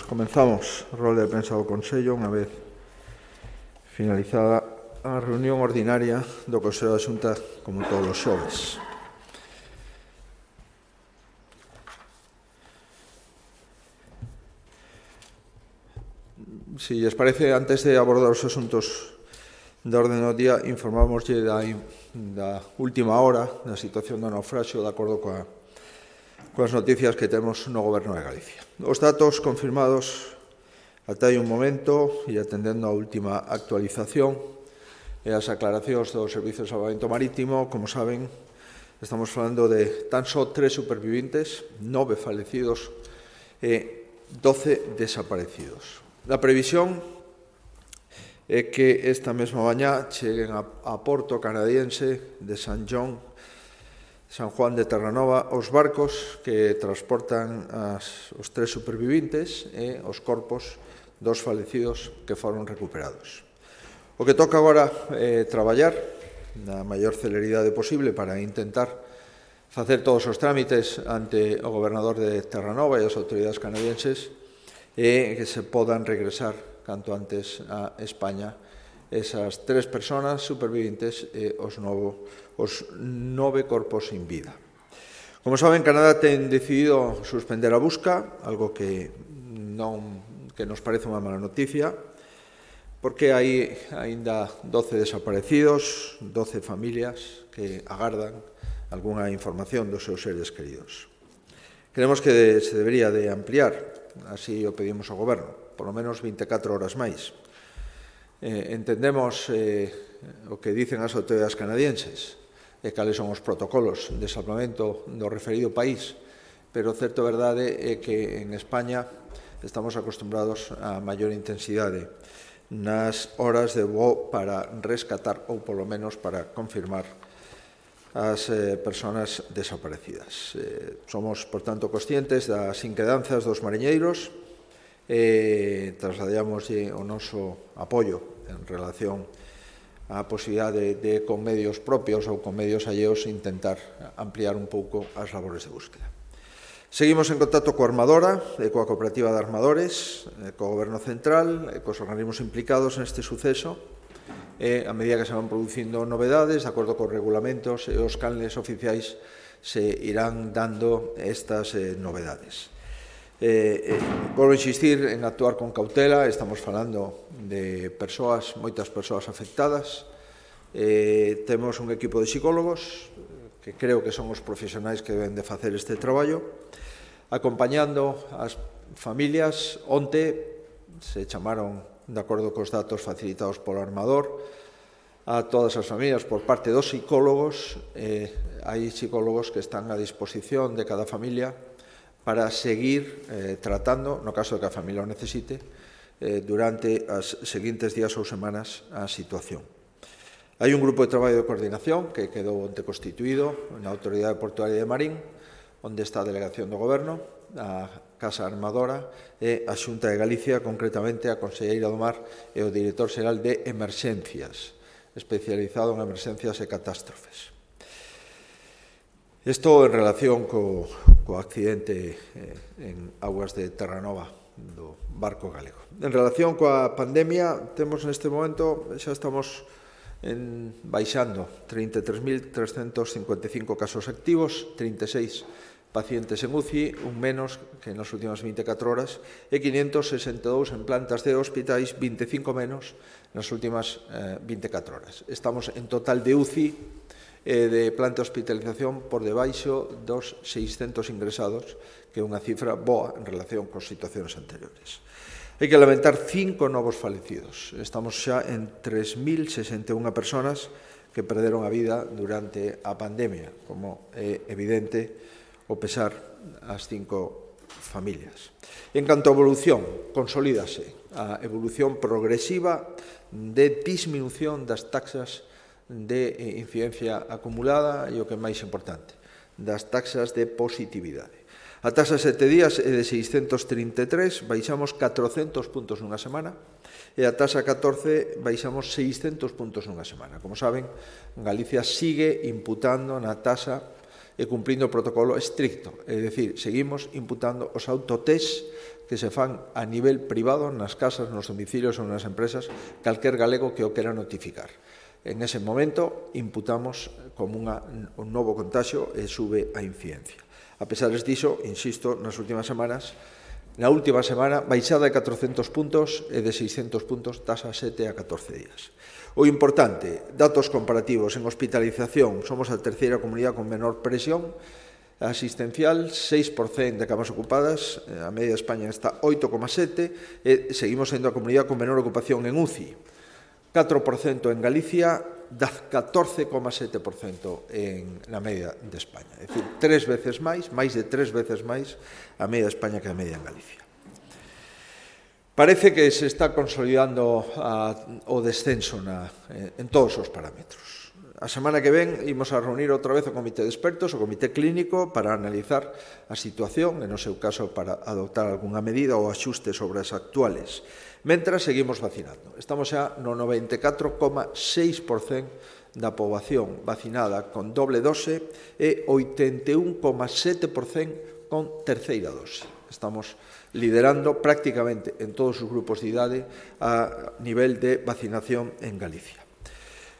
Comenzamos a rolda de prensa do Consello unha vez finalizada a reunión ordinaria do Consello da Xunta como todos os xoves. Si lles parece, antes de abordar os asuntos de orden do día, informámoslle da última hora da situación do naufraxio de acordo coas noticias que temos no Goberno de Galicia. Os datos confirmados ata hai un momento e atendendo a última actualización e as aclaracións do Servicio de Salvamento Marítimo, como saben, estamos falando de tan só 3 supervivintes, 9 falecidos e 12 desaparecidos. A previsión é que esta mesma mañá cheguen a Porto canadiense de San Juan de Terranova os barcos que transportan os 3 supervivintes e os corpos dos falecidos que foron recuperados. O que toca agora é traballar na maior celeridade posible para intentar facer todos os trámites ante o gobernador de Terranova e as autoridades canadienses e que se podan regresar canto antes a España esas 3 persoas supervivintes e os 9 corpos sin vida. Como saben, Canadá ten decidido suspender a busca, algo que nos parece unha mala noticia, porque hai aínda 12 desaparecidos, 12 familias que agardan algunha información dos seus seres queridos. Creemos que se debería de ampliar, así o pedimos ao Goberno, polo menos 24 horas máis. Entendemos o que dicen as autoridades canadienses e cales son os protocolos de salvamento do referido país, pero certo verdade é que en España estamos acostumbrados a maior intensidade nas horas de voo para rescatar ou polo menos para confirmar as persoas desaparecidas. Somos, por tanto, conscientes das inquedanzas dos mariñeiros e trasladamos o noso apoio en relación á posibilidade de con medios propios ou con medios alleos intentar ampliar un pouco as labores de búsqueda. Seguimos en contacto coa Armadora e coa Cooperativa de Armadores, co Goberno Central e cos organismos implicados neste suceso e a medida que se van producindo novedades, de acordo cos regulamentos e os canles oficiais, se irán dando estas novedades. Volvo a insistir en actuar con cautela, estamos falando de moitas persoas afectadas, temos un equipo de psicólogos que creo que son os profesionais que deben de facer este traballo, acompañando as familias. Onte se chamaron, de acordo cos datos facilitados polo Armador, a todas as familias por parte dos psicólogos. Hai psicólogos que están a disposición de cada familia para seguir tratando, no caso de que a familia o necesite, durante os seguintes días ou semanas a situación. Hai un grupo de traballo de coordinación que quedou onte constituído na Autoridade Portuaria de Marín, onde está a Delegación do Goberno, a Casa Armadora e a Xunta de Galicia, concretamente a Conselleira do Mar e o Director Xeral de Emerxencias, especializado en emerxencias e catástrofes. Isto en relación co accidente en augas de Terranova do barco galego. En relación coa pandemia, temos neste momento, xa estamos baixando 33.355 casos activos, 36 pacientes en UCI, un menos que nas últimas 24 horas, e 562 en plantas de hospitais, 25 menos nas últimas 24 horas. Estamos en total de UCI de planta de hospitalización por debaixo dos 600 ingresados, que é unha cifra boa en relación con situacións anteriores. Hai que lamentar 5 novos falecidos. Estamos xa en 3.061 persoas que perderon a vida durante a pandemia, como é evidente o pesar as 5 familias. En canto a evolución, consolídase a evolución progresiva de disminución das taxas de incidencia acumulada e o que é máis importante, das taxas de positividade. A taxa 7 días é de 633, baixamos 400 puntos nunha semana, e a taxa 14 baixamos 600 puntos nunha semana. Como saben, Galicia sigue imputando na taxa e cumprindo o protocolo estricto, é dicir, seguimos imputando os autotest que se fan a nivel privado, nas casas, nos domicilios ou nas empresas, calquer galego que o quera notificar. En ese momento imputamos como un novo contagio e sube a incidencia. A pesar diso, insisto, nas últimas semanas, na última semana, baixada de 400 puntos e de 600 puntos das a 7 a 14 días. O importante, datos comparativos en hospitalización, somos a terceira comunidade con menor presión asistencial, 6% de camas ocupadas, a media de España está 8,7 e seguimos sendo a comunidade con menor ocupación en UCI. 4% en Galicia, 14,7% na media de España. É dicir, 3 veces máis de 3 veces máis a media de España que a media en Galicia. Parece que se está consolidando o descenso en todos os parámetros. A semana que ven imos a reunir outra vez o comité de expertos, o comité clínico, para analizar a situación, e no seu caso para adoptar algunha medida ou axuste sobre as actuales. Mentras seguimos vacinando. Estamos xa no 94,6% da poboación vacinada con doble dose e 81,7% con terceira dose. Estamos liderando prácticamente en todos os grupos de idade a nivel de vacinación en Galicia.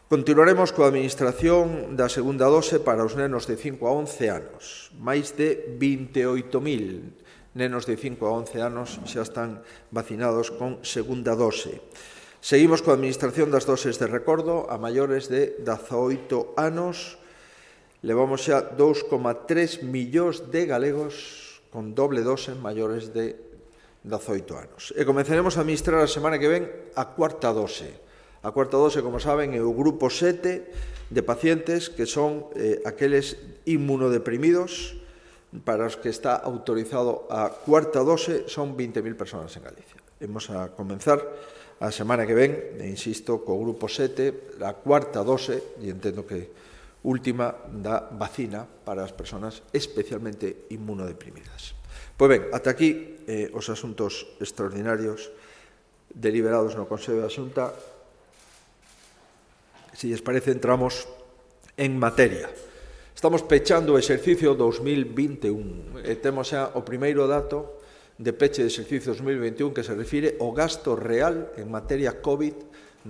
Continuaremos coa administración da segunda dose para os nenos de 5 a 11 anos. Máis de 28.000 nenos de 5 a 11 anos xa están vacinados con segunda dose. Seguimos coa administración das doses de recordo a maiores de 18 anos. Levamos xa 2,3 millóns de galegos con doble dose maiores de 18 anos. E comenzaremos a administrar a semana que ven a cuarta dose. A cuarta dose, como saben, é o grupo 7 de pacientes que son aqueles inmunodeprimidos para os que está autorizado a cuarta dose, son 20.000 personas en Galicia. Vamos a comenzar a semana que ven, e insisto, co grupo 7, a cuarta dose, e entendo que última da vacina para as persoas especialmente inmunodeprimidas. Pois ben, ata aquí os asuntos extraordinarios deliberados no Consello da Xunta. Se lles parece, entramos en materia. Estamos pechando o exercicio 2021 e temos xa o primeiro dato de peche de exercicio 2021 que se refire ao gasto real en materia COVID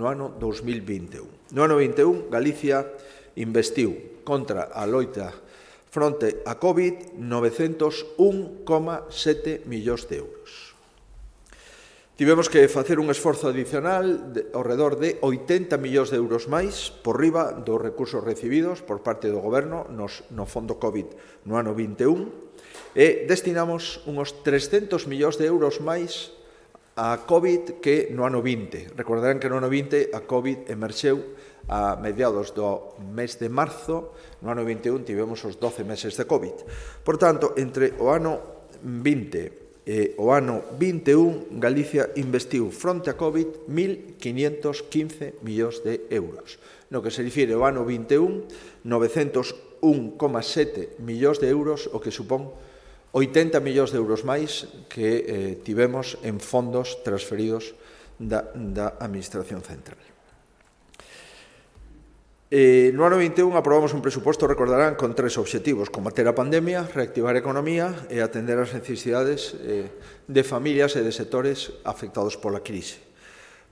no ano 2021. No ano 21, Galicia investiu contra a loita fronte a COVID 901,7 millóns de euros. Tivemos que facer un esforzo adicional ao redor de 80 millóns de euros máis por riba dos recursos recibidos por parte do Goberno no Fondo COVID no ano 21 e destinamos uns 300 millóns de euros máis a COVID que no ano 20. Recordarán que no ano 20 a COVID emerxeu a mediados do mes de marzo, no ano 21 tivemos os 12 meses de COVID. Por tanto, entre o ano 20 e o ano 21, Galicia investiu fronte a COVID 1.515 millóns de euros. No que se refire ao ano 21, 901,7 millóns de euros, o que supón 80 millóns de euros máis que tivemos en fondos transferidos da Administración Central. No ano 21 aprobamos un presuposto, recordarán, con 3 obxectivos: combater a pandemia, reactivar a economía e atender as necesidades de familias e de sectores afectados pola crise.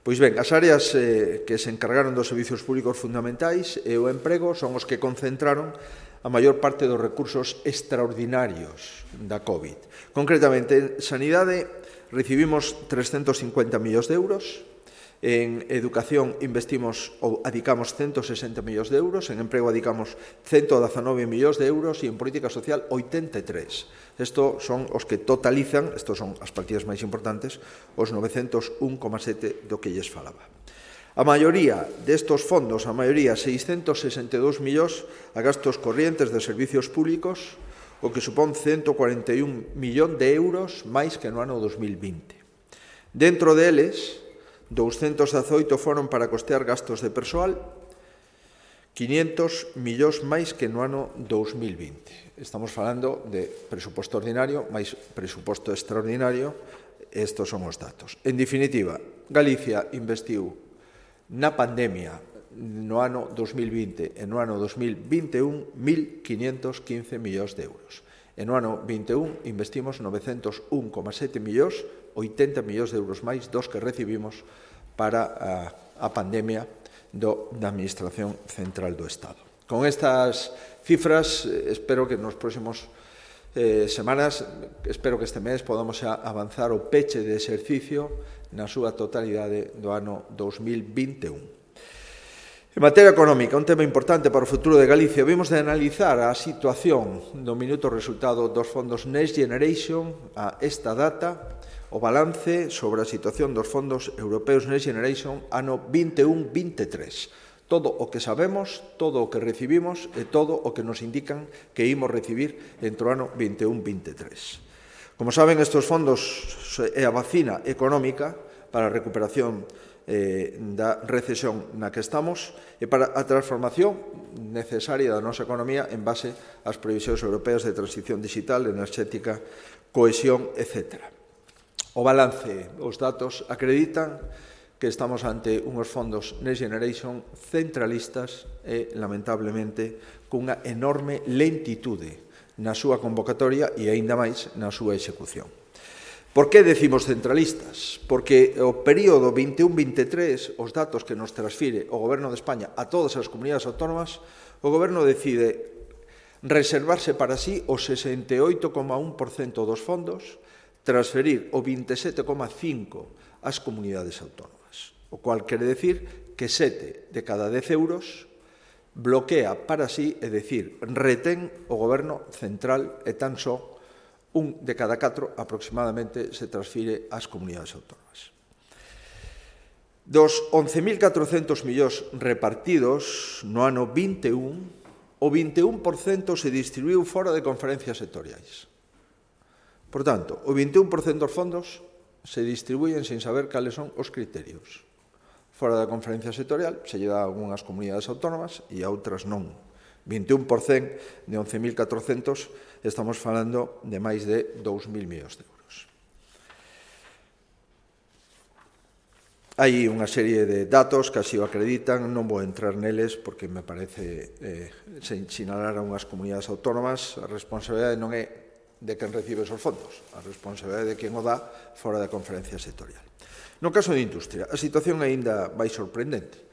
Pois ben, as áreas que se encargaron dos servicios públicos fundamentais e o emprego son os que concentraron a maior parte dos recursos extraordinarios da COVID. Concretamente, en sanidade recibimos 350 millóns de euros, en educación investimos ou adicamos 160 millóns de euros, en emprego adicamos 119 millóns de euros e en política social 83. Estos son os que totalizan, estos son as partidas máis importantes, os 901,7 do que lles falaba. A maioría destos fondos, a maioría 662 millóns a gastos corrientes de servicios públicos, o que supón 141 millóns de euros máis que no ano 2020. Dentro deles, 218 foron para costear gastos de persoal, 500 millóns máis que no ano 2020. Estamos falando de presuposto ordinario máis presuposto extraordinario, estos son os datos. En definitiva, Galicia investiu na pandemia no ano 2020 e no ano 2021 1.515 millóns de euros. E no ano 21 investimos 901,7 millóns, 80 millóns de euros máis dos que recibimos para a pandemia da Administración Central do Estado. Con estas cifras, espero que nos próximos semanas, espero que este mes podamos avanzar o peche de exercicio na súa totalidade do ano 2021. En materia económica, un tema importante para o futuro de Galicia, vimos de analizar a situación do minuto resultado dos fondos Next Generation a esta data, o balance sobre a situación dos fondos europeos Next Generation ano 21-23. Todo o que sabemos, todo o que recibimos e todo o que nos indican que imos recibir entre o ano 21-23. Como saben, estes fondos é a vacina económica para a recuperación da recesión na que estamos e para a transformación necesaria da nosa economía en base ás previsións europeas de transición digital, enerxética, cohesión, etc. O balance, os datos acreditan que estamos ante unhos fondos Next Generation centralistas e, lamentablemente, cunha enorme lentitude na súa convocatoria e, aínda máis, na súa execución. Por que decimos centralistas? Porque o período 21-23, os datos que nos transfire o Goberno de España a todas as comunidades autónomas, o Goberno decide reservarse para sí o 68,1% dos fondos, transferir o 27,5% ás comunidades autónomas. O cual quere decir que 7 de cada 10 euros bloquea para sí, é dicir, retén o Goberno central e tan só un de cada 4 aproximadamente se transfire ás comunidades autónomas. Dos 11.400 millóns repartidos no ano 21, o 21% se distribuiu fora de conferencias sectoriais. Por tanto, o 21% dos fondos se distribuyen sin saber cales son os criterios. Fora da conferencia sectorial se lle dá a algunhas comunidades autónomas e a outras non. 21% de 11.400 estamos falando de máis de 2.000 millóns de euros. Hai unha serie de datos que así o acreditan, non vou entrar neles porque me parece sinalar a unhas comunidades autónomas, a responsabilidade non é de quen recibe esos fondos, a responsabilidade de quen o dá fora da conferencia sectorial. No caso de Industria, a situación aínda vai sorprendente.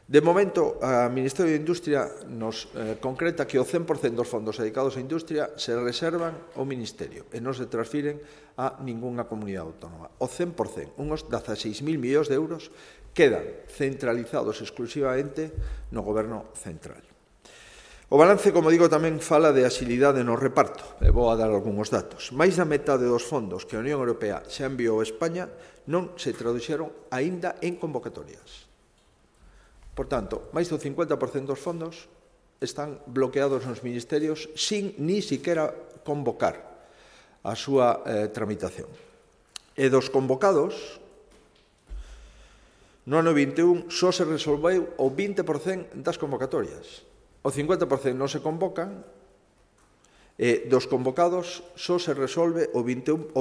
De momento, a Ministerio de Industria nos concreta que o 100% dos fondos dedicados a Industria se reservan ao Ministerio e non se transfiren a ningunha comunidade autónoma. O 100%, uns 16.000 millóns de euros, quedan centralizados exclusivamente no Goberno central. O balance, como digo, tamén fala de axilidade no reparto. E vou a dar algúns datos. Máis da metade dos fondos que a Unión Europea xa enviou a España non se traduxeron aínda en convocatorias. Por tanto, máis do 50% dos fondos están bloqueados nos ministerios sin ni siquiera convocar a súa tramitación. E dos convocados, no ano 21 só se resolveu o 20% das convocatorias. O 50% non se convocan e dos convocados só se resolve o 20%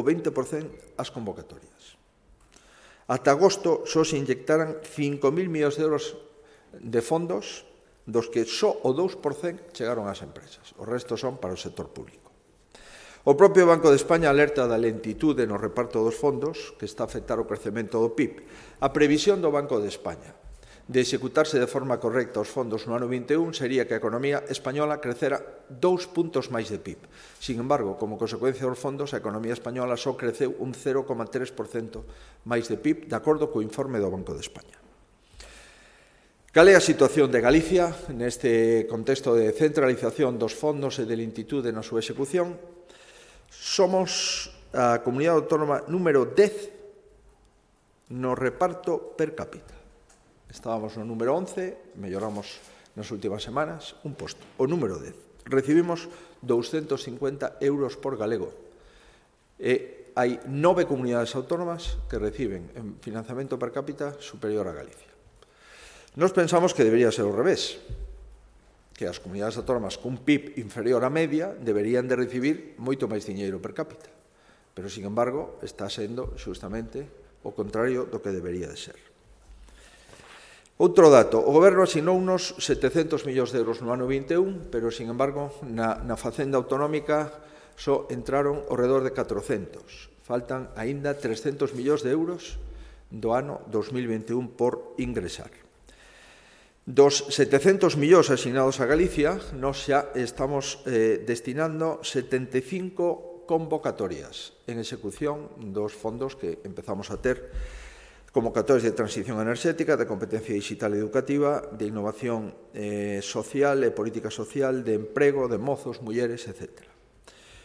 as convocatorias. Ata agosto só se inyectaran 5.000 millóns de euros de fondos, dos que só o 2% chegaron ás empresas. O resto son para o sector público. O propio Banco de España alerta da lentitude no reparto dos fondos que está a afectar o crecemento do PIB. A previsión do Banco de España de executarse de forma correcta os fondos no ano 21 sería que a economía española crecera 2 puntos máis de PIB. Sin embargo, como consecuencia dos fondos, a economía española só creceu un 0,3% máis de PIB, de acordo co informe do Banco de España. Cal é a situación de Galicia neste contexto de centralización dos fondos e de lentitude na súa execución? Somos a comunidade autónoma número 10 no reparto per cápita. Estábamos no número 11, melloramos nas últimas semanas un posto. O número 10. Recibimos 250 euros por galego. E hai 9 comunidades autónomas que reciben en financiamento per cápita superior a Galicia. Nos pensamos que debería ser ao revés, que as comunidades autónomas cun PIB inferior á media deberían de recibir moito máis diñeiro per cápita. Pero, sin embargo, está sendo xustamente o contrario do que debería de ser. Outro dato, o Goberno asinou unos 700 millóns de euros no ano 21, pero, sin embargo, na Facenda Autonómica só entraron ao redor de 400. Faltan aínda 300 millóns de euros do ano 2021 por ingresar. Dos 700 millóns asignados a Galicia, nós xa estamos destinando 75 convocatorias en execución dos fondos que empezamos a ter, convocatorias de transición enerxética, de competencia digital educativa, de innovación social e política social, de emprego, de mozos, mulleres, etc.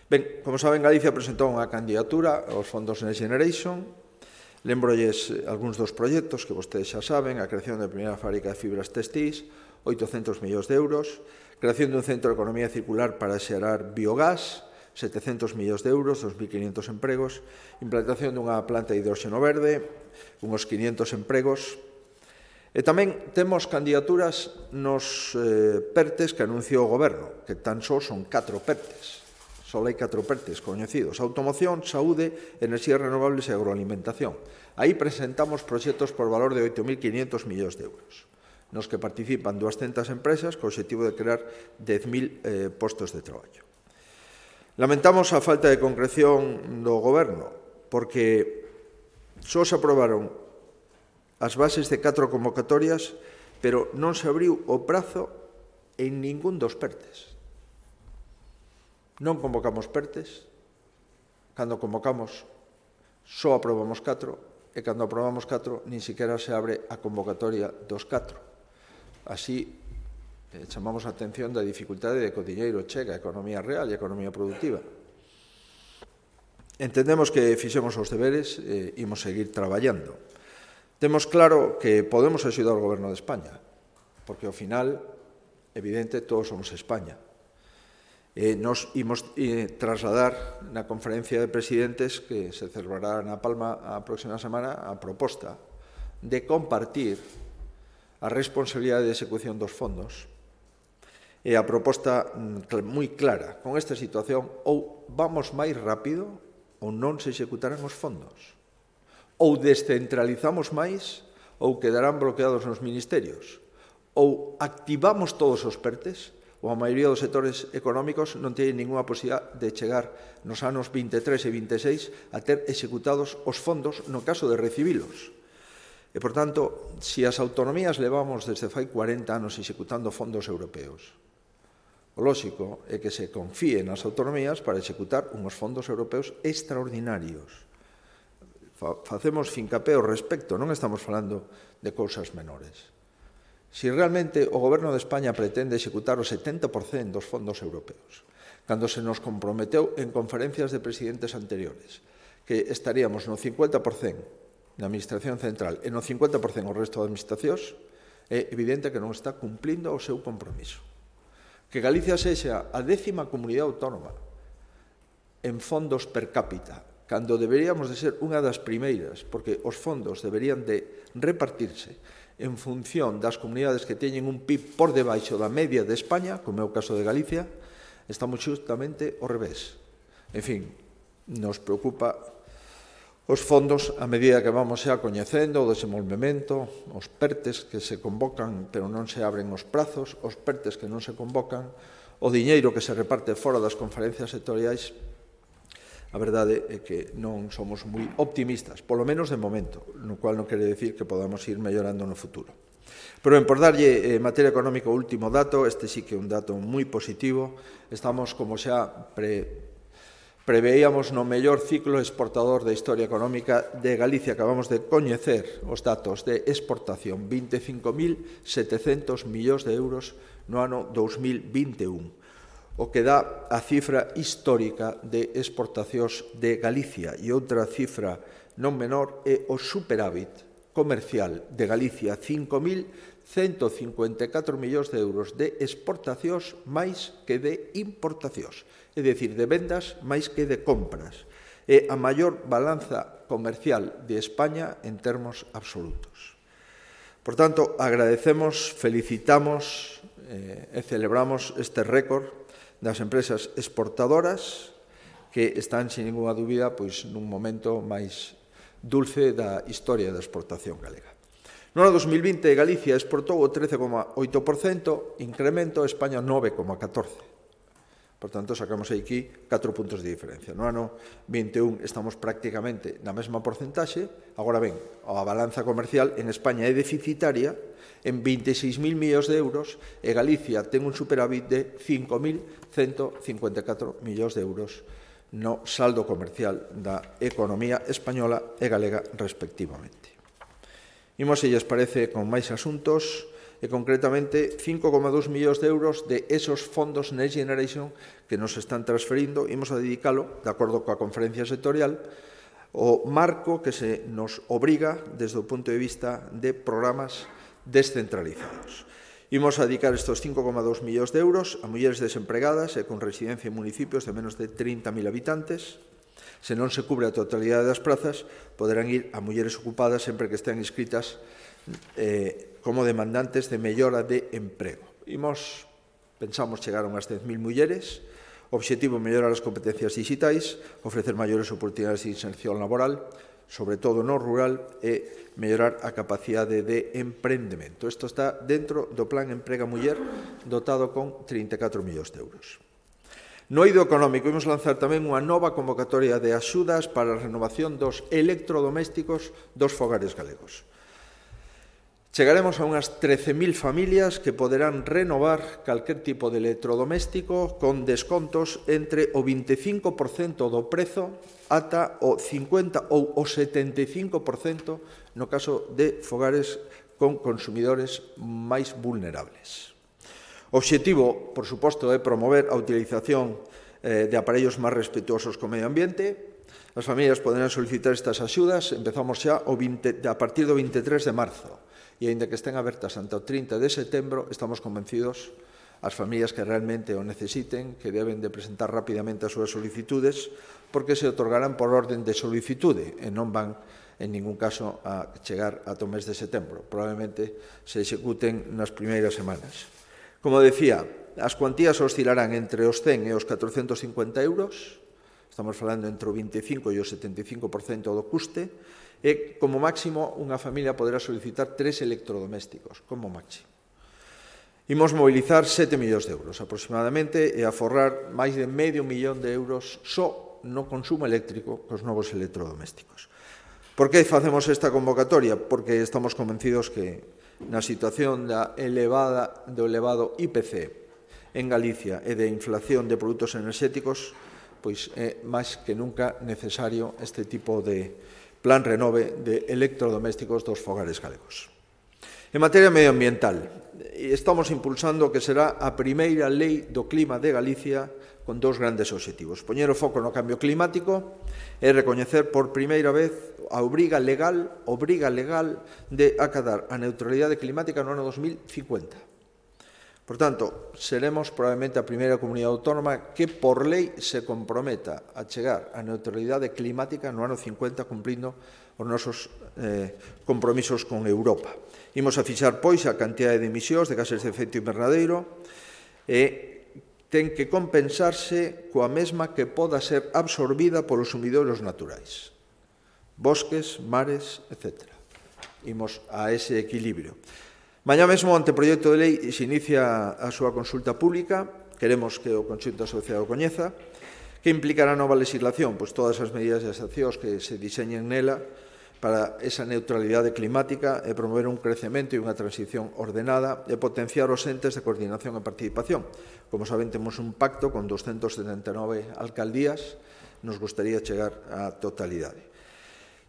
Ben, como saben, Galicia presentou unha candidatura aos fondos Next Generation. Lembrolles algúns dos proxectos que vostedes xa saben: a creación da primeira fábrica de fibras textís, 800 millóns de euros, creación dun centro de economía circular para xerar biogás, 700 millóns de euros, 2.500 empregos, implantación dunha planta de hidróxeno verde, uns 500 empregos. E tamén temos candidaturas nos PERTES que anunciou o Goberno, que tan só son 4 PERTES. Só hai 4 PERTES coñecidos: automoción, saúde, enerxías renovables e agroalimentación. Aí presentamos proxectos por valor de 8.500 millóns de euros, nos que participan 200 empresas co obxectivo de crear 10.000 postos de traballo. Lamentamos a falta de concreción do Goberno, porque só se aprobaron as bases de 4 convocatorias, pero non se abriu o prazo en ningún dos PERTES. Non convocamos PERTES, cando convocamos só aprobamos 4, e cando aprobamos 4 nin sequera se abre a convocatoria dos 4. Así, chamamos a atención da dificultade de que o diñeiro chega a economía real e a economía productiva. Entendemos que fixemos os deberes e imos seguir traballando. Temos claro que podemos axudar ao Goberno de España, porque ao final, evidente, todos somos España. Nos imos trasladar na conferencia de presidentes que se celebrará na Palma a próxima semana a proposta de compartir a responsabilidade de execución dos fondos. E a proposta moi clara: con esta situación, ou vamos máis rápido ou non se executarán os fondos, ou descentralizamos máis ou quedarán bloqueados nos ministerios, ou activamos todos os PERTES, ou a maioría dos sectores económicos non teñen ninguna posibilidade de chegar nos anos 23 e 26 a ter executados os fondos no caso de recibilos. E, por tanto, se as autonomías levamos desde fai 40 anos executando fondos europeos, o lóxico é que se confíe nas autonomías para executar unhos fondos europeos extraordinarios. Facemos fincapé ao respecto, non estamos falando de cousas menores. Se realmente o Goberno de España pretende executar o 70% dos fondos europeos, cando se nos comprometeu en conferencias de presidentes anteriores que estaríamos no 50% na Administración Central e no 50% o resto de administracións, é evidente que non está cumplindo o seu compromiso. Que Galicia sexa a 10ª comunidade autónoma en fondos per cápita, cando deberíamos de ser unha das primeiras, porque os fondos deberían de repartirse en función das comunidades que teñen un PIB por debaixo da media de España, como é o caso de Galicia, estamos justamente ao revés. En fin, nos preocupa os fondos a medida que vamos xa coñecendo o desenvolvemento, os PERTES que se convocan pero non se abren os prazos, os PERTES que non se convocan, o diñeiro que se reparte fora das conferencias sectoriais. A verdade é que non somos moi optimistas, polo menos de momento, no cual non quere decir que podamos ir mellorando no futuro. Pero por darlle en materia económica o último dato, este sí que é un dato moi positivo, estamos, como xa preveíamos, no mellor ciclo exportador da historia económica de Galicia. Acabamos de coñecer os datos de exportación, 25.700 millóns de euros no ano 2021. O que dá a cifra histórica de exportacións de Galicia. E outra cifra non menor é o superávit comercial de Galicia, 5.154 millóns de euros de exportacións máis que de importacións, é dicir, de vendas máis que de compras. É a maior balanza comercial de España en termos absolutos. Por tanto, agradecemos, felicitamos e celebramos este récord das empresas exportadoras que están, sin ninguna dúbida, nun momento máis dulce da historia da exportación galega. No ano 2020, Galicia exportou o 13,8%, incremento, España 9,14%. Por tanto, sacamos aquí 4 puntos de diferencia. No ano 21 estamos prácticamente na mesma porcentaxe. Agora ben, a balanza comercial en España é deficitaria en 26.000 millóns de euros e Galicia ten un superávit de 5.154 millóns de euros no saldo comercial da economía española e galega respectivamente. Imos, se lles parece, con máis asuntos, e concretamente 5,2 millóns de euros de esos fondos Next Generation que nos están transferindo, imos a dedicalo, de acordo coa conferencia sectorial, o marco que se nos obriga desde o punto de vista de programas descentralizados. Imos a dedicar estes 5,2 millóns de euros a mulleres desempregadas e con residencia en municipios de menos de 30.000 habitantes. Se non se cubre a totalidade das prazas, poderán ir a mulleres ocupadas sempre que estean inscritas como demandantes de mellora de emprego. Pensamos chegar a unhas 10.000 mulleres. O obxectivo é mellorar as competencias digitais, ofrecer maiores oportunidades de inserción laboral, sobre todo no rural, e mellorar a capacidade de emprendemento. Isto está dentro do Plan Emprega Muller, dotado con 34 millóns de euros. No eido económico, imos lanzar tamén unha nova convocatoria de axudas para a renovación dos electrodomésticos dos fogares galegos. Chegaremos a unhas 13.000 familias que poderán renovar calquer tipo de electrodoméstico con descontos entre o 25% do prezo ata o 50% ou o 75% no caso de fogares con consumidores máis vulnerables. O obxectivo, por suposto, é promover a utilización de aparellos máis respetuosos co medio ambiente. As familias poderán solicitar estas axudas, empezamos xa a partir do 23 de marzo. E, aínda que estén abertas ante o 30 de setembro, estamos convencidos as familias que realmente o necesiten, que deben de presentar rapidamente as súas solicitudes, porque se otorgarán por orden de solicitude e non van, en ningún caso, a chegar ata o mes de setembro. Probablemente se executen nas primeiras semanas. Como decía, as cuantías oscilarán entre os 100 e os 450 euros, estamos falando entre o 25% e o 75% do custe, e, como máximo, unha familia poderá solicitar 3 electrodomésticos, como máximo. Imos mobilizar 7 millóns de euros aproximadamente e aforrar máis de medio millón de euros só no consumo eléctrico cos novos electrodomésticos. Por que facemos esta convocatoria? Porque estamos convencidos que na situación do elevado IPC en Galicia e de inflación de produtos enerxéticos, pois é máis que nunca necesario este tipo de Plan Renove de electrodomésticos dos fogares galegos. En materia medioambiental, estamos impulsando o que será a primeira lei do clima de Galicia con 2 grandes obxectivos. Poñer o foco no cambio climático e recoñecer por primeira vez a obriga legal de acadar a neutralidade climática no ano 2050. Por tanto, seremos probablemente a primeira comunidade autónoma que por lei se comprometa a chegar á neutralidade climática no ano 50 cumprindo os nosos compromisos con Europa. Imos a fixar, pois, a cantidade de emisións de gases de efecto invernadeiro e ten que compensarse coa mesma que poda ser absorbida polos sumidouros naturais, bosques, mares, etc. Imos a ese equilibrio. Mañá mesmo o anteproxecto de lei se inicia a súa consulta pública. Queremos que o conxunto da sociedade o coñeza. Que implicará a nova legislación? Pois todas as medidas e as accións que se diseñen nela para esa neutralidade climática e promover un crecemento e unha transición ordenada e potenciar os entes de coordinación e participación. Como saben, temos un pacto con 279 alcaldías. Nos gustaría chegar á totalidade.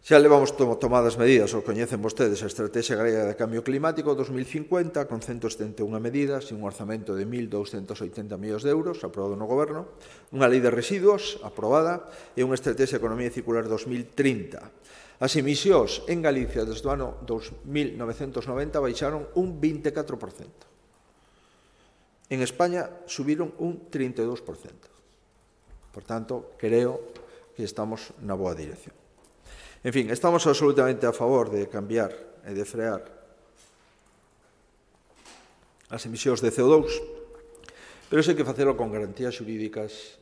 Xa levamos tomadas medidas, o coñecen vostedes, a Estrategia Galega de Cambio Climático 2050, con 171 medidas e un orzamento de 1.280 millóns de euros, aprobado no Goberno, unha lei de residuos, aprobada, e unha Estrategia de Economía Circular 2030. As emisións en Galicia desde o ano 1990 baixaron un 24%. En España subiron un 32%. Por tanto, creo que estamos na boa dirección. En fin, estamos absolutamente a favor de cambiar e de frear as emisións de CO2, pero hai que facelo con garantías xurídicas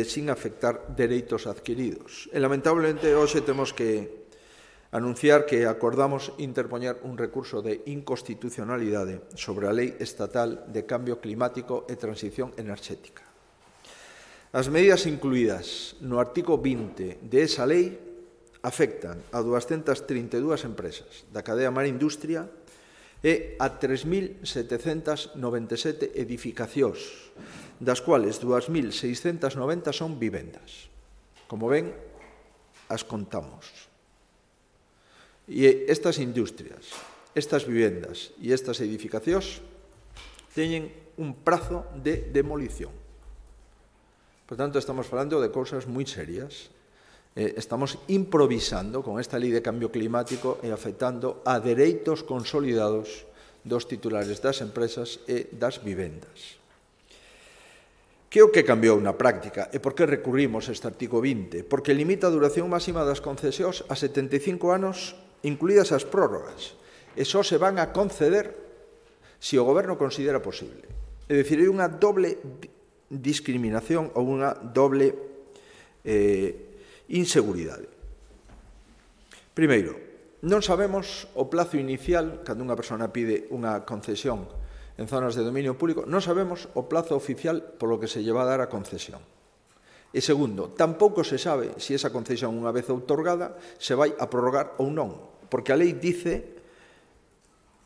sin afectar dereitos adquiridos. E, lamentablemente, hoxe temos que anunciar que acordamos interpoñer un recurso de inconstitucionalidade sobre a Lei Estatal de Cambio Climático e Transición Enerxética. As medidas incluídas no artigo 20 de esa lei afectan a 232 empresas da cadea Mar Industria e a 3.797 edificacións, das cuales 2.690 son vivendas. Como ven, as contamos. E estas industrias, estas vivendas e estas edificacións teñen un prazo de demolición. Por tanto, estamos falando de cousas moi serias. Estamos improvisando con esta lei de cambio climático e afectando a dereitos consolidados dos titulares das empresas e das vivendas. Que é o que cambiou na práctica e por que recurrimos a este artigo 20? Porque limita a duración máxima das concesións a 75 anos, incluídas as prórrogas, e só se van a conceder se o Goberno considera posible. É dicir, hai unha doble discriminación ou unha doble inseguridade. Primeiro, non sabemos o plazo inicial, cando unha persona pide unha concesión en zonas de dominio público, non sabemos o plazo oficial polo que se lle va a dar a concesión. E segundo, tampouco se sabe se esa concesión, unha vez outorgada, se vai a prorrogar ou non, porque a lei dice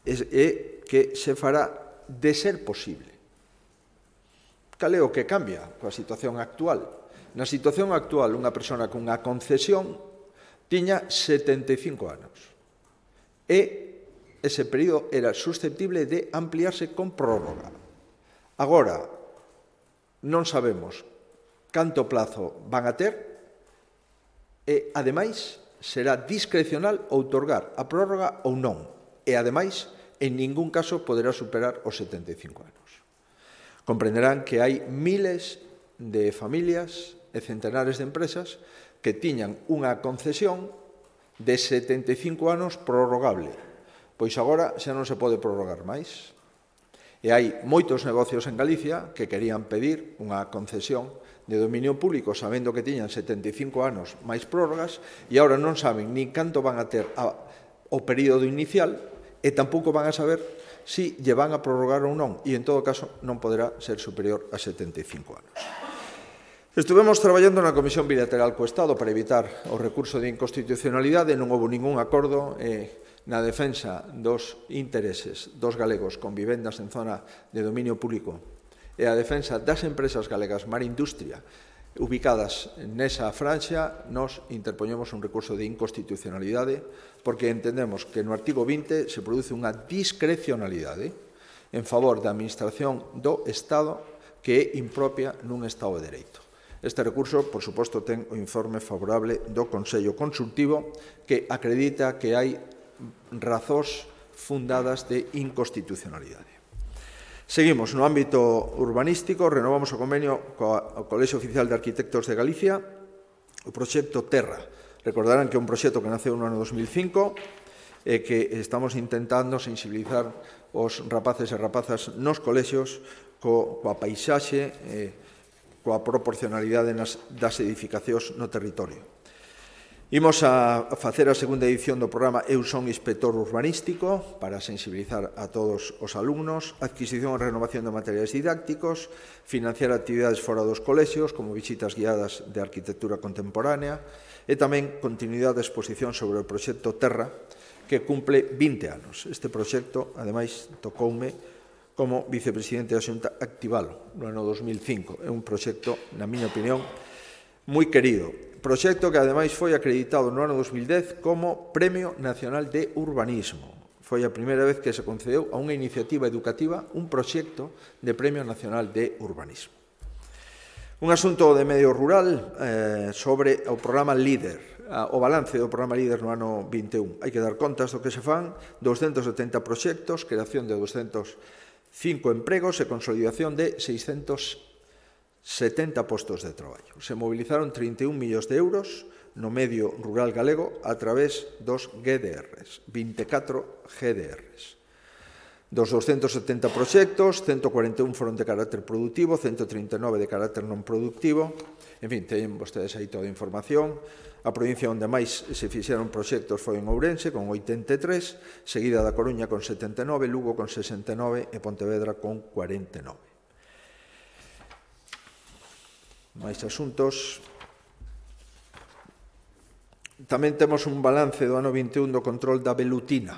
que se fará de ser posible. Cal é o que cambia coa situación actual? Na situación actual, unha persona cunha concesión tiña 75 anos e ese período era susceptible de ampliarse con prórroga. Agora, non sabemos canto plazo van a ter e, ademais, será discrecional outorgar a prórroga ou non. E, ademais, en ningún caso poderá superar os 75 anos. Comprenderán que hai miles de familias e centenares de empresas que tiñan unha concesión de 75 anos prorrogable. Pois agora xa non se pode prorrogar máis. E hai moitos negocios en Galicia que querían pedir unha concesión de dominio público sabendo que tiñan 75 anos máis prórrogas e agora non saben nin canto van a ter o período inicial e tampouco van a saber si lle van a prorrogar ou non, e en todo caso non poderá ser superior a 75 anos. Estivemos traballando na Comisión Bilateral co Estado para evitar o recurso de inconstitucionalidade, non houve ningún acordo na defensa dos intereses dos galegos con vivendas en zona de dominio público e a defensa das empresas galegas Mar Industria ubicadas nesa franxa. Nos interpoñemos un recurso de inconstitucionalidade porque entendemos que no artigo 20 se produce unha discrecionalidade en favor da Administración do Estado que é impropia nun Estado de Dereito. Este recurso, por suposto, ten o informe favorable do Consello Consultivo que acredita que hai razóns fundadas de inconstitucionalidade. Seguimos no ámbito urbanístico, renovamos o convenio co Colexio Oficial de Arquitectos de Galicia, o proxecto Terra. Recordarán que é un proxecto que naceu no ano 2005 e que estamos intentando sensibilizar os rapaces e rapazas nos colexios coa paisaxe, coa proporcionalidade das edificacións no territorio. Imos a facer a segunda edición do programa Eu son inspector urbanístico para sensibilizar a todos os alumnos, adquisición e renovación de materiais didácticos, financiar actividades fora dos colexios, como visitas guiadas de arquitectura contemporánea, e tamén continuidade de exposición sobre o proxecto Terra, que cumple 20 anos. Este proxecto, ademais, tocoume como vicepresidente da Xunta activalo no ano 2005. É un proxecto, na miña opinión, moi querido. Proxecto que, ademais, foi acreditado no ano 2010 como Premio Nacional de Urbanismo. Foi a primeira vez que se concedeu a unha iniciativa educativa un proxecto de Premio Nacional de Urbanismo. Un asunto de medio rural sobre o programa LEADER, o balance do programa LEADER no ano 21. Hai que dar contas do que se fan, 270 proxectos, creación de 205 empregos e consolidación de 670 postos de traballo. Se mobilizaron 31 millóns de euros no medio rural galego a través dos GDRs, 24 GDRs. Dos 270 proxectos, 141 foron de carácter productivo, 139 de carácter non productivo. En fin, teñen vostedes aí toda a información. A provincia onde máis se fixeron proxectos foi en Ourense, con 83, seguida da Coruña con 79, Lugo con 69 e Pontevedra con 49. máis asuntos. Tamén temos un balance do ano 21 do control da velutina.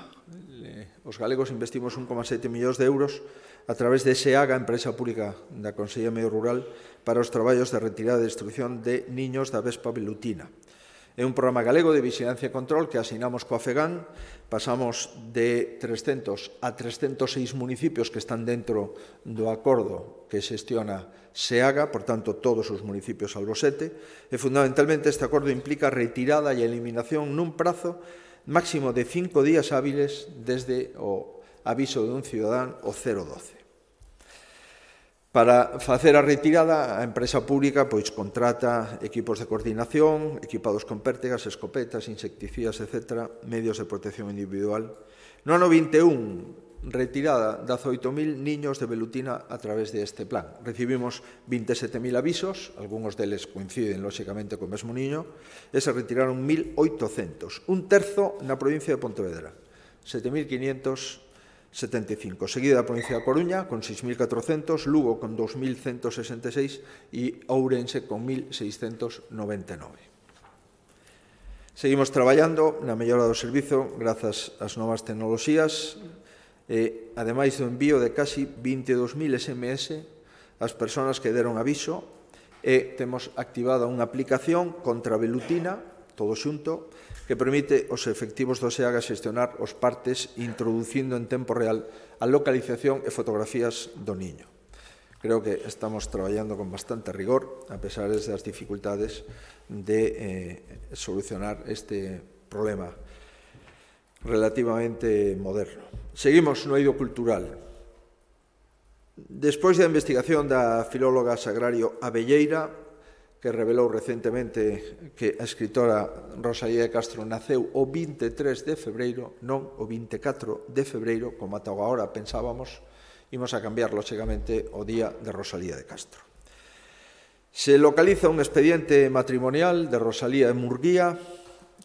Os galegos investimos 1,7 millóns de euros a través de SEAGA, empresa pública da Consellería de Medio Rural, para os traballos de retirada e destrucción de niños da vespa velutina. É un programa galego de vigilancia e control que asinamos coa FEGAN. Pasamos de 300 a 306 municipios que están dentro do acordo que xestiona SEAGA, por tanto, todos os municipios salvo 7, e fundamentalmente este acordo implica a retirada e a eliminación nun prazo máximo de 5 días hábiles desde o aviso de un cidadán o 012. Para facer a retirada, a empresa pública contrata equipos de coordinación, equipados con pértigas, escopetas, insecticidas, etc., medios de protección individual. No ano 21, retirada de 18.000 niños de velutina a través deste plan. Recibimos 27.000 avisos, algúns deles coinciden, lóxicamente, co mesmo niño, e se retiraron 1.800, un terzo na provincia de Pontevedra, 7.575, seguida da provincia da Coruña con 6.400, Lugo con 2.166 e Ourense con 1.699. Seguimos traballando na mellora do servizo grazas ás novas tecnoloxías e, ademais do envío de casi 22.000 SMS ás persoas que deron aviso, e temos activada unha aplicación contra a velutina, todo xunto, que permite aos efectivos do SEAGA xestionar os partes introducindo en tempo real a localización e fotografías do niño. Creo que estamos traballando con bastante rigor, a pesar das dificultades de solucionar este problema relativamente moderno. Seguimos no eido cultural. Despois da investigación da filóloga Sagrario Abelleira, que revelou recentemente que a escritora Rosalía de Castro naceu o 23 de febreiro, non o 24 de febreiro, como ata agora pensábamos, imos a cambiar, lóxicamente, o día de Rosalía de Castro. Se localiza un expediente matrimonial de Rosalía e Murguía,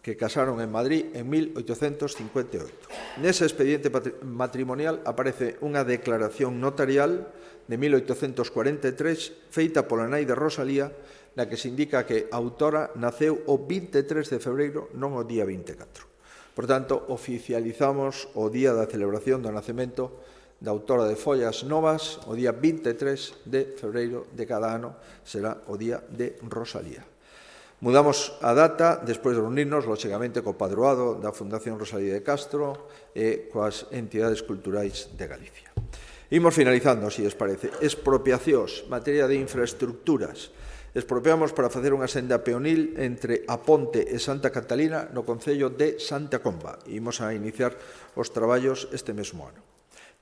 que casaron en Madrid en 1858. Nese expediente matrimonial aparece unha declaración notarial de 1843 feita pola nai de Rosalía, na que se indica que a autora naceu o 23 de febreiro, non o día 24. Por tanto, oficializamos o día da celebración do nacemento da autora de Follas Novas, o día 23 de febreiro de cada ano será o día de Rosalía. Mudamos a data despois de reunirnos, lóxicamente, co padroado da Fundación Rosalía de Castro e coas entidades culturais de Galicia. Imos finalizando, se os parece. Expropiacións, materia de infraestructuras. Expropiamos para facer unha senda peonil entre A Ponte e Santa Catalina no concello de Santa Comba. Imos a iniciar os traballos este mesmo ano.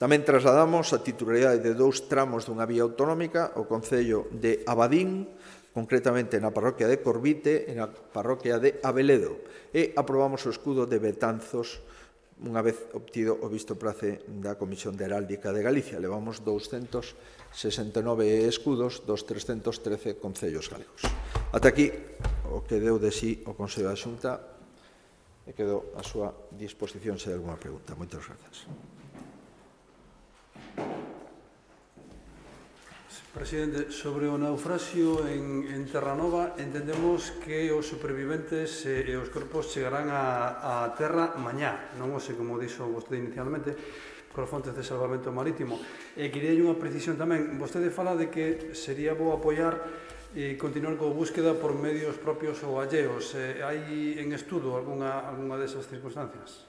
Tamén trasladamos a titularidade de 2 tramos dunha vía autonómica ao concello de Abadín, concretamente na parroquia de Corvite e na parroquia de Abeledo, e aprobamos o escudo de Betanzos unha vez obtido o visto prace da Comisión de Heráldica de Galicia. Levamos 269 escudos dos 313 concellos galegos. Ata aquí o que deu de sí o Consello da Xunta, e quedo a súa disposición se hai alguma pregunta. Moitas grazas. Presidente, sobre o naufraxio en Terranova, entendemos que os superviventes e os corpos chegarán a terra mañá, non o sei como dixo vostede inicialmente, por fontes de salvamento marítimo. E quería unha precisión tamén. Vostede fala de que sería bo apoiar e continuar coa búsqueda por medios propios ou alleos. Hai en estudo algunha desas circunstancias?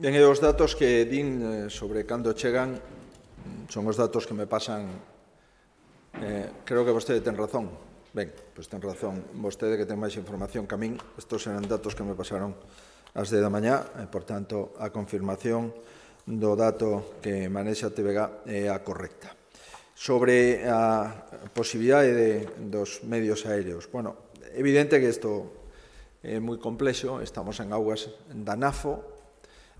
Ben, e os datos que din sobre cando chegan son os datos que me pasan. Creo que vostede ten razón. Ben, pois ten razón vostede, que ten máis información que a min. Estos eran datos que me pasaron ás 10 da mañá, e, por tanto, a confirmación do dato que manexa a TVG é a correcta. Sobre a posibilidade dos medios aéreos. Bueno, é evidente que isto é moi complexo. Estamos en augas da NAFO.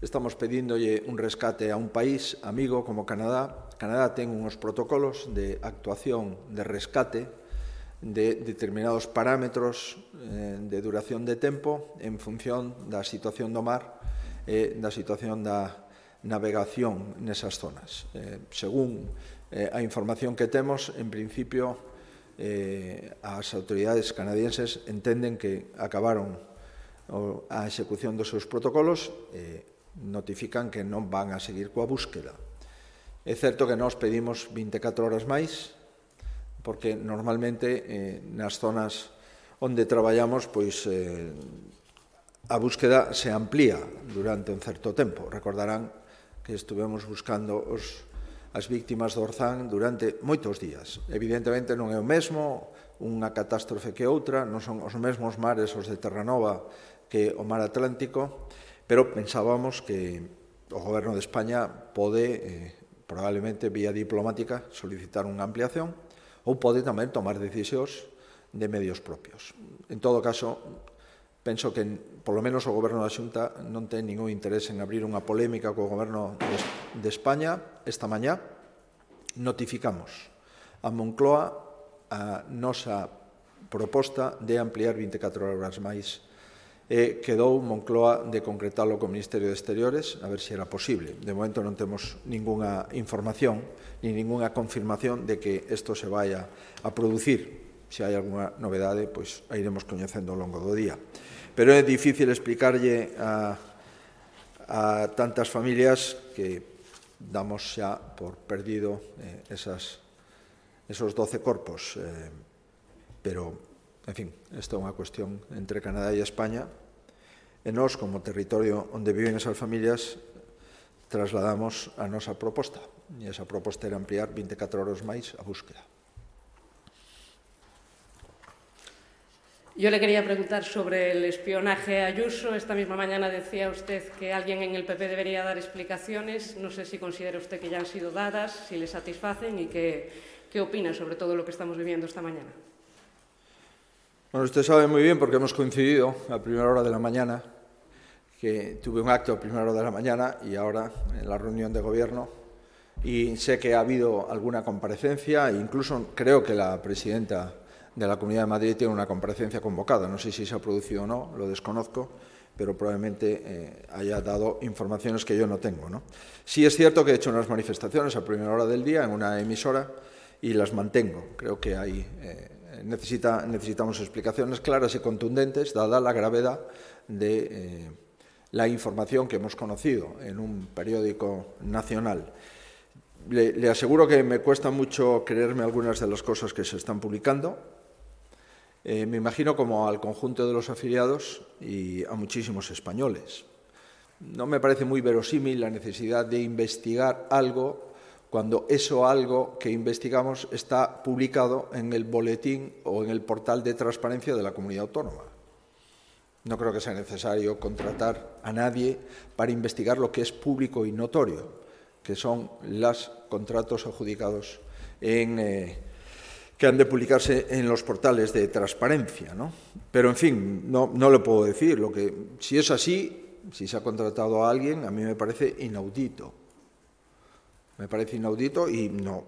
Estamos pedíndolle un rescate a un país amigo como Canadá. Canadá ten uns protocolos de actuación de rescate de determinados parámetros de duración de tempo en función da situación do mar e da situación da navegación nesas zonas. Según a información que temos, en principio, as autoridades canadienses entenden que acabaron a execución dos seus protocolos e notifican que non van a seguir coa búsqueda. É certo que nós pedimos 24 horas máis, porque normalmente nas zonas onde traballamos pois a búsqueda se amplía durante un certo tempo. Recordarán que estuvemos buscando as víctimas do Orzán durante moitos días. Evidentemente non é o mesmo unha catástrofe que outra, non son os mesmos mares os de Terranova que o mar Atlántico, pero pensábamos que o Goberno de España pode, probablemente vía diplomática, solicitar unha ampliación ou pode tamén tomar decisións de medios propios. En todo caso, penso que, polo menos, o Goberno da Xunta non ten ningún interés en abrir unha polémica co Goberno de España. Esta mañá notificamos a Moncloa a nosa proposta de ampliar 24 horas máis e quedou Moncloa de concretalo co Ministerio de Exteriores a ver se era posible. De momento non temos ninguna información ni ninguna confirmación de que isto se vaya a producir. Se hai algunha novedade, pois a iremos coñecendo ao longo do día. Pero é difícil explicarlle a tantas familias que damos xa por perdido esos 12 corpos. Pero, en fin, esta é unha cuestión entre Canadá e España. E nós, como territorio onde viven esas familias, trasladamos a nosa proposta. E esa proposta era ampliar 24 horas máis a búsqueda. Yo le quería preguntar sobre el espionaje a Ayuso. Esta misma mañana decía usted que alguien en el PP debería dar explicaciones. No sé si considera usted que ya han sido dadas, si le satisfacen y qué opina sobre todo lo que estamos viviendo esta mañana. Bueno, usted sabe muy bien, porque hemos coincidido a primera hora de la mañana, que tuve un acto a primera hora de la mañana y ahora en la reunión de gobierno, y sé que ha habido alguna comparecencia, e incluso creo que la presidenta de la Comunidad de Madrid tiene una comparecencia convocada. No sé si se ha producido o no, lo desconozco, pero probablemente haya dado informaciones que yo no tengo, ¿no? Sí es cierto que he hecho unas manifestaciones a primera hora del día en una emisora y las mantengo. Creo que hay, necesitamos explicaciones claras y contundentes, dada la gravedad de la información que hemos conocido en un periódico nacional. Le aseguro que me cuesta mucho creerme algunas de las cosas que se están publicando. Me imagino como al conjunto de los afiliados y a muchísimos españoles. No me parece muy verosímil la necesidad de investigar algo cuando eso algo que investigamos está publicado en el boletín o en el portal de transparencia de la comunidad autónoma. No creo que sea necesario contratar a nadie para investigar lo que es público y notorio, que son los contratos adjudicados que han de publicarse en los portales de transparencia, ¿no? Pero, en fin, no le puedo decir. Si es así, si se ha contratado a alguien, a mí me parece inaudito. Me parece inaudito y no,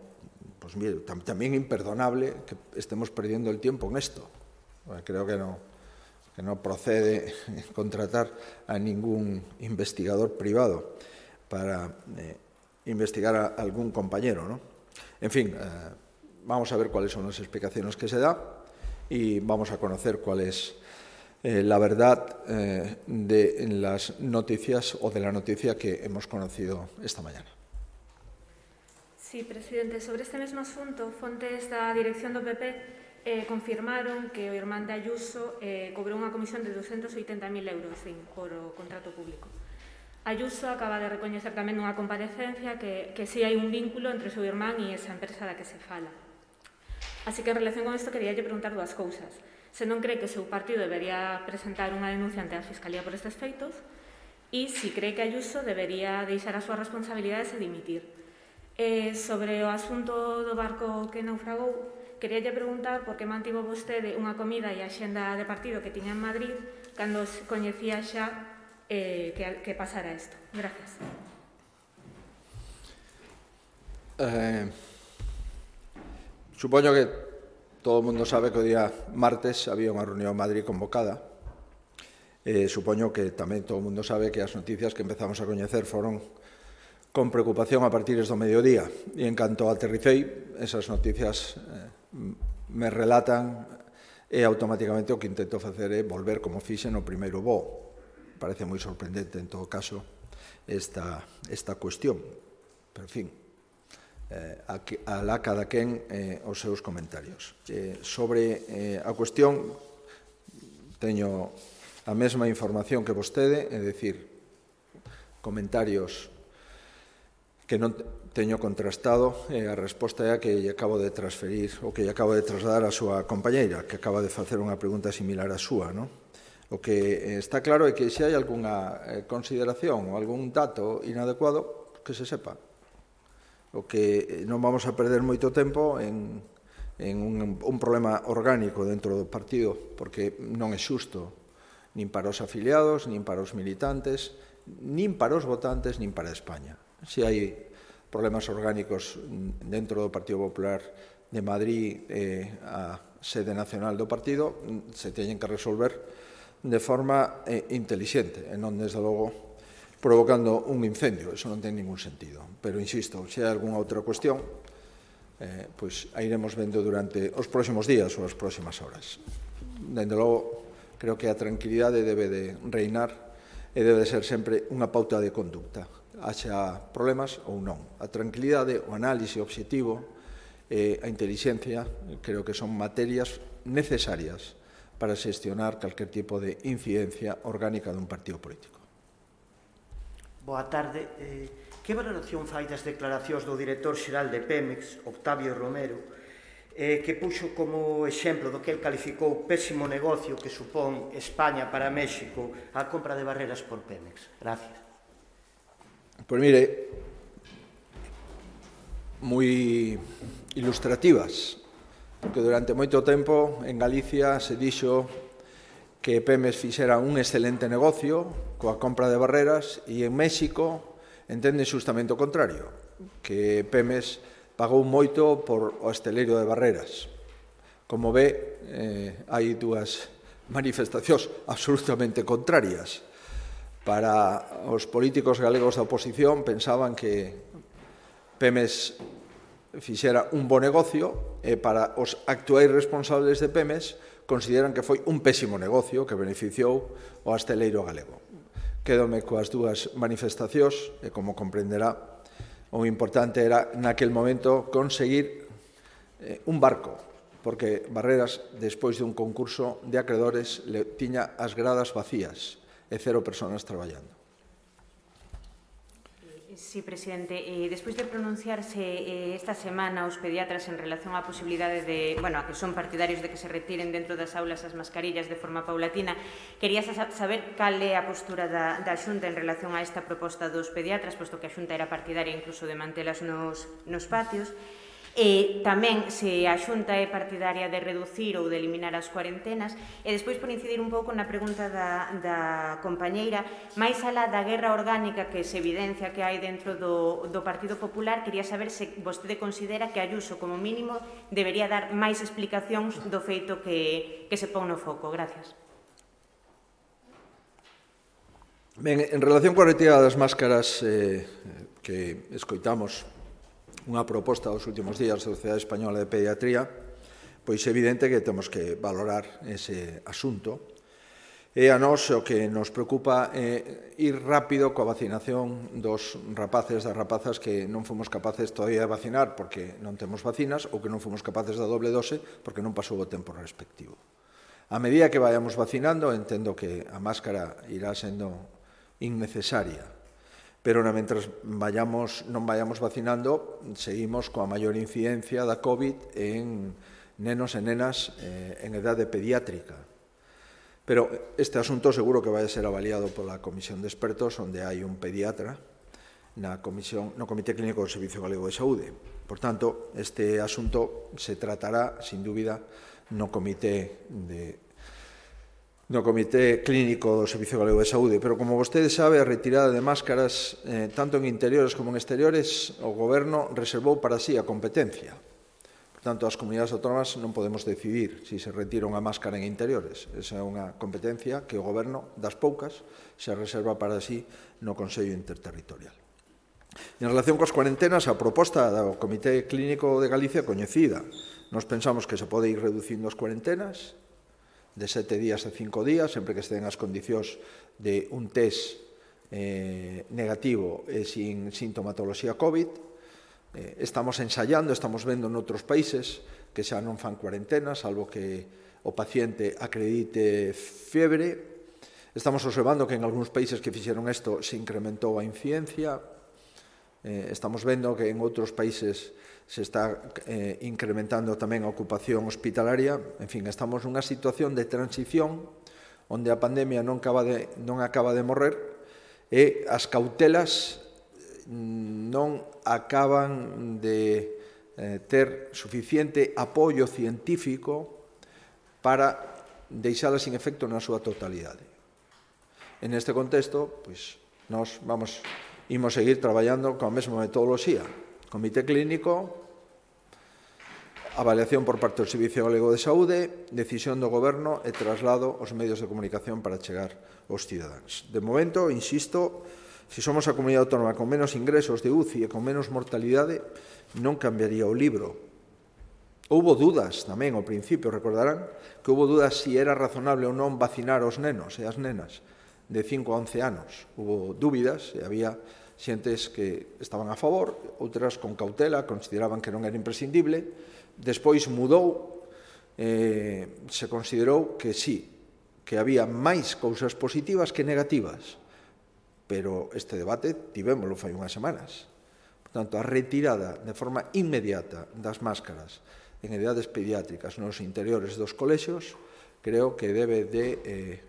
pues mire, también imperdonable que estemos perdiendo el tiempo en esto. Creo que no procede contratar a ningún investigador privado para investigar a algún compañero, ¿no? En fin, vamos a ver cuáles son las explicaciones que se da y vamos a conocer cuál es la verdad de las noticias o de la noticia que hemos conocido esta mañana. Sí, presidente. Sobre este mesmo asunto, fontes da dirección do PP confirmaron que o irmán de Ayuso cobrou unha comisión de 280.000 euros por o contrato público. Ayuso acaba de recoñecer tamén nunha comparecencia que sí hai un vínculo entre o seu irmán e esa empresa da que se fala. Así que, en relación con isto, queríalle preguntar dúas cousas. Se non cree que o seu partido debería presentar unha denuncia ante a Fiscalía por estes feitos e se cree que Ayuso debería deixar as súas responsabilidades e dimitir. Sobre o asunto do barco que naufragou, queríalle preguntar por que mantivo vostede unha comida e a xenda de partido que tiña en Madrid cando coñecía xa que pasara isto. Gracias. Supoño que todo o mundo sabe que o día martes había unha reunión en Madrid convocada. Supoño que tamén todo o mundo sabe que as noticias que empezamos a coñecer foron con preocupación a partir do mediodía. E en canto aterricei, esas noticias me relatan e automáticamente o que intento facer é volver como fixe no primeiro voo. Parece moi sorprendente, en todo caso, esta cuestión. Pero, en fin, alá cada quen os seus comentarios. Sobre a cuestión, teño a mesma información que vostede, é dicir, comentarios que non teño contrastado, a resposta é a que lle acabo de transferir, ou que lle acabo de trasladar a súa compañeira, que acaba de facer unha pregunta similar á súa, non? O que está claro é que se hai algunha consideración ou algún dato inadecuado, que se sepa. O que non vamos a perder moito tempo en un problema orgánico dentro do partido, porque non é xusto nin para os afiliados, nin para os militantes, nin para os votantes, nin para España. Se hai problemas orgánicos dentro do Partido Popular de Madrid, a sede nacional do partido, se teñen que resolver de forma intelixente, e non, desde logo, provocando un incendio. Eso non ten ningún sentido. Pero, insisto, se hai algunha outra cuestión, pois a iremos vendo durante os próximos días ou as próximas horas. Dende logo, creo que a tranquilidade debe de reinar e debe de ser sempre unha pauta de conducta. Haxa problemas ou non. A tranquilidade, o análise obxectivo, a intelixencia, creo que son materias necesarias para xestionar calquer tipo de incidencia orgánica dun partido político. Boa tarde. Que valoración fai das declaracións do director xeral de Pemex, Octavio Romero, que puxo como exemplo do que el calificou pésimo negocio que supón España para México a compra de barreras por Pemex? Gracias. Pois mire, moi ilustrativas, porque durante moito tempo en Galicia se dixo que Pemex fixera un excelente negocio coa compra de barreras e en México entenden xustamente o contrario, que Pemex pagou moito por o esteleiro de barreras. Como ve, hai dúas manifestacións absolutamente contrarias. Para os políticos galegos da oposición pensaban que Pemex fixera un bo negocio e para os actuais responsables de Pemex consideran que foi un pésimo negocio que beneficiou o asteleiro galego. Quédome coas dúas manifestacións e, como comprenderá, o importante era naquel momento conseguir un barco, porque Barreras, despois de un concurso de acreedores, tiña as gradas vacías e 0 personas traballando. Sí, presidente. Despois de pronunciarse esta semana os pediatras en relación á posibilidade de, a que son partidarios de que se retiren dentro das aulas as mascarillas de forma paulatina, quería saber cal é a postura da Xunta en relación a esta proposta dos pediatras, posto que a Xunta era partidaria incluso de mantelas nos patios. E tamén se a Xunta é partidaria de reducir ou de eliminar as cuarentenas. E despois, por incidir un pouco na pregunta da compañeira, máis alá da guerra orgánica que se evidencia que hai dentro do Partido Popular, quería saber se vostede considera que Ayuso, como mínimo, debería dar máis explicacións do feito que se pon no foco. Gracias. Ben, en relación coa retirada das máscaras que escoitamos unha proposta dos últimos días da Sociedade Española de Pediatría, pois é evidente que temos que valorar ese asunto. E a nós o que nos preocupa é ir rápido coa vacinación dos rapaces e das rapazas que non fomos capaces todavía de vacinar porque non temos vacinas ou que non fomos capaces da doble dose porque non pasou o tempo respectivo. A medida que vayamos vacinando, entendo que a máscara irá sendo innecesaria. Pero mentras non vayamos vacinando, seguimos coa maior incidencia da COVID en nenos e nenas en edade pediátrica. Pero este asunto seguro que vai ser avaliado pola Comisión de Expertos, onde hai un pediatra no Comité Clínico do Servicio Galego de Saúde. Por tanto, este asunto se tratará, sin dúbida, no Comité Clínico do Servicio Galego de Saúde, pero como vostede sabe, a retirada de máscaras, tanto en interiores como en exteriores, o Goberno reservou para sí a competencia. Por tanto, as comunidades autónomas non podemos decidir se retira unha máscara en interiores. Esa é unha competencia que o Goberno, das poucas, se reserva para sí no Consello Interterritorial. En relación coas cuarentenas, a proposta do Comité Clínico de Galicia é coñecida. Nos pensamos que se pode ir reducindo as cuarentenas de 7 días a 5 días, sempre que estén as condicións de un test negativo e sin sintomatoloxía COVID. Estamos ensayando, estamos vendo noutros países que xa non fan cuarentena, salvo que o paciente acredite fiebre. Estamos observando que en algúns países que fixeron isto se incrementou a incidencia. Estamos vendo que en outros países se está incrementando tamén a ocupación hospitalaria. En fin, estamos nunha situación de transición onde a pandemia non acaba de morrer e as cautelas non acaban de ter suficiente apoio científico para deixalas sin efecto na súa totalidade. En este contexto, pois, nós imos seguir traballando coa mesma metodoloxía. Comité clínico, avaliación por parte do Servicio Galego de Saúde, decisión do Goberno e traslado aos medios de comunicación para chegar aos cidadáns. De momento, insisto, se somos a comunidade autónoma con menos ingresos de UCI e con menos mortalidade, non cambiaría o libro. Houbo dudas tamén ao principio, recordarán, que houbo dudas se era razonable ou non vacinar os nenos e as nenas de 5 a 11 anos. Houbo dúbidas e había xentes que estaban a favor, outras con cautela, consideraban que non era imprescindible. Despois mudou, se considerou que sí, que había máis cousas positivas que negativas. Pero este debate tivémolo fai unhas semanas. Por tanto, a retirada de forma inmediata das máscaras en edades pediátricas nos interiores dos colexios creo que debe de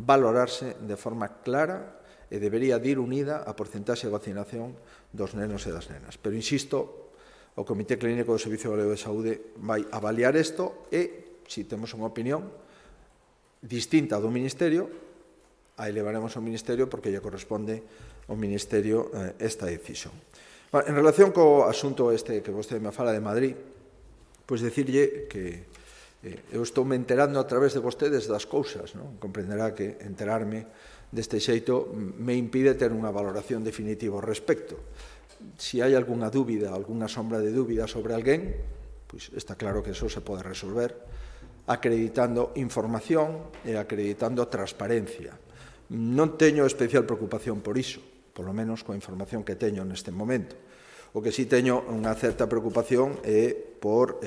valorarse de forma clara e debería de ir unida a porcentaxe de vacinación dos nenos e das nenas. Pero, insisto, o Comité Clínico do Servicio Galego de Saúde vai avaliar isto e, se temos unha opinión distinta do Ministerio, a elevaremos ao Ministerio porque lle corresponde ao Ministerio esta decisión. En relación co asunto este que vostede me fala de Madrid, pois dicirlle que eu estou me enterando a través de vostedes das cousas, non? Comprenderá que enterarme deste xeito me impide ter unha valoración definitiva ao respecto. Se hai algunha dúbida, algunha sombra de dúbida sobre alguén, pois está claro que eso se pode resolver acreditando información e acreditando transparencia. Non teño especial preocupación por iso, polo menos coa información que teño neste momento. O que sí teño unha certa preocupación é por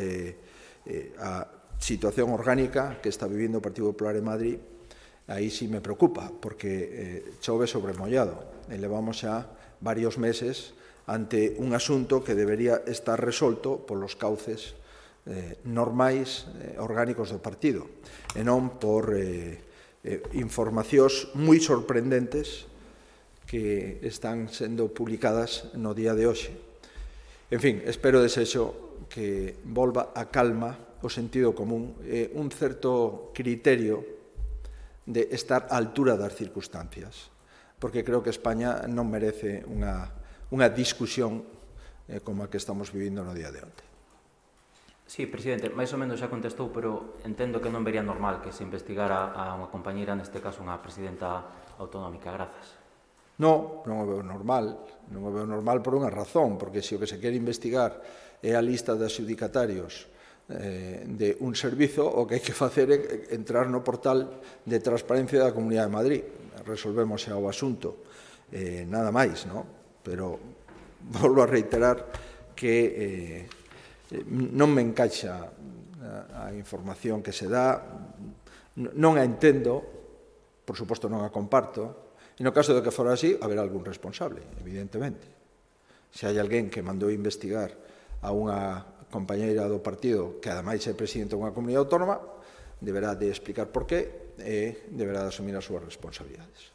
a situación orgánica que está vivindo o Partido Popular en Madrid. Aí sí me preocupa, porque chove sobre mollado. E levamos xa varios meses ante un asunto que debería estar resolto polos cauces normais, orgánicos do partido, e non por informacións moi sorprendentes que están sendo publicadas no día de hoxe. En fin, espero desexo que volva a calma o sentido común e un certo criterio de estar á altura das circunstancias, porque creo que España non merece unha discusión como a que estamos vivindo no día de onte. Sí, presidente, máis ou menos xa contestou, pero entendo que non vería normal que se investigara a unha compañeira, neste caso unha presidenta autonómica. Grazas. Non o veo normal. Non o veo normal por unha razón, porque se o que se quere investigar é a lista de adxudicatarios de un servizo, o que hai que facer é entrar no portal de transparencia da Comunidade de Madrid. Resolvemos xa o asunto, nada máis, non? Pero volvo a reiterar que non me encaixa a información que se dá, non a entendo, por suposto non a comparto, e no caso de que fora así, haberá algún responsable, evidentemente. Se hai alguén que mandou investigar a unha compañeira do partido que ademais é presidente dunha comunidade autónoma, deberá de explicar por qué e deberá de asumir as súas responsabilidades.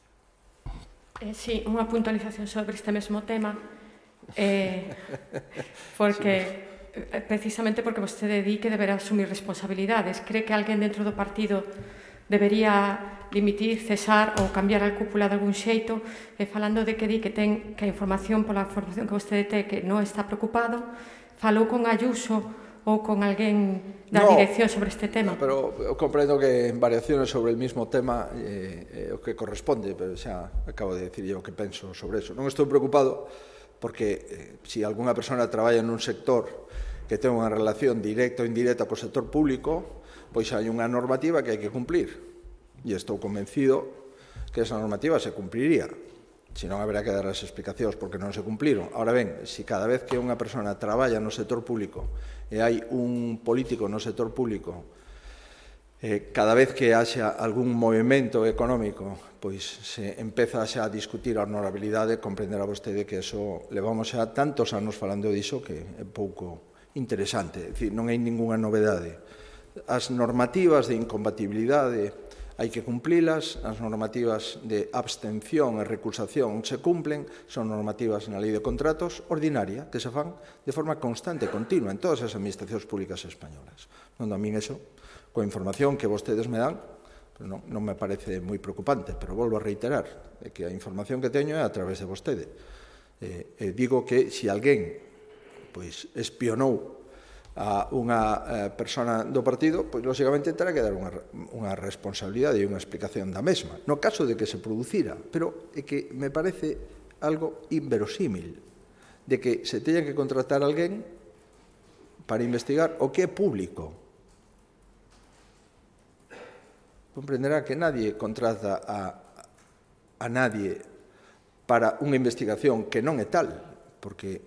Sí, unha puntualización sobre este mesmo tema, porque precisamente porque vostede di que deberá asumir responsabilidades. Cree que alguén dentro do partido debería dimitir, cesar ou cambiar a cúpula de algún xeito, e falando de que di que ten que a información, pola información que vostede ten, que non está preocupado, falou con Ayuso ou con alguén da dirección sobre este tema? Pero eu comprendo que en variaciones sobre el mismo tema o que corresponde, pero xa acabo de dicir eu que penso sobre eso. Non estou preocupado porque se algunha persona traballa nun sector que ten unha relación directa ou indirecta co sector público, pois hai unha normativa que hai que cumplir. E estou convencido que esa normativa se cumpliría. Se non, haberá que dar as explicacións porque non se cumpliron. Ahora ben, se cada vez que unha persona traballa no sector público e hai un político no sector público, cada vez que haxa algún movimento económico, pois se empeza xa a discutir a honorabilidade, comprenderá vostede que eso levamos xa tantos anos falando diso que é pouco interesante. É dicir, non hai ninguna novedade. As normativas de incompatibilidade hai que cumplilas, as normativas de abstención e recusación se cumplen, son normativas na Lei de Contratos ordinaria que se fan de forma constante e continua en todas as administracións públicas españolas. Non, a min eso, coa información que vostedes me dan, non me parece moi preocupante, pero volvo a reiterar que a información que teño é a través de vostede. Digo que se alguén espionou a unha persona do partido, pois, lógicamente, terá que dar unha responsabilidade e unha explicación da mesma. No caso de que se producira, pero é que me parece algo inverosímil de que se teña que contratar alguén para investigar o que é público. Comprenderá que nadie contrata a nadie para unha investigación que non é tal, porque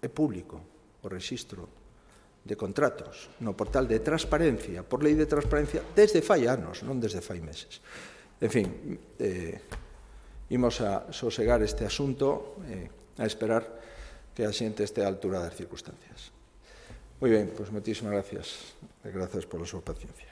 é público o rexistro de contratos no portal de transparencia, por lei de transparencia, desde fai anos, non desde fai meses. En fin, imos a sosegar este asunto, a esperar que a xente este á altura das circunstancias. Moi ben, pois moitísimas gracias. E gracias pola súa paciencia.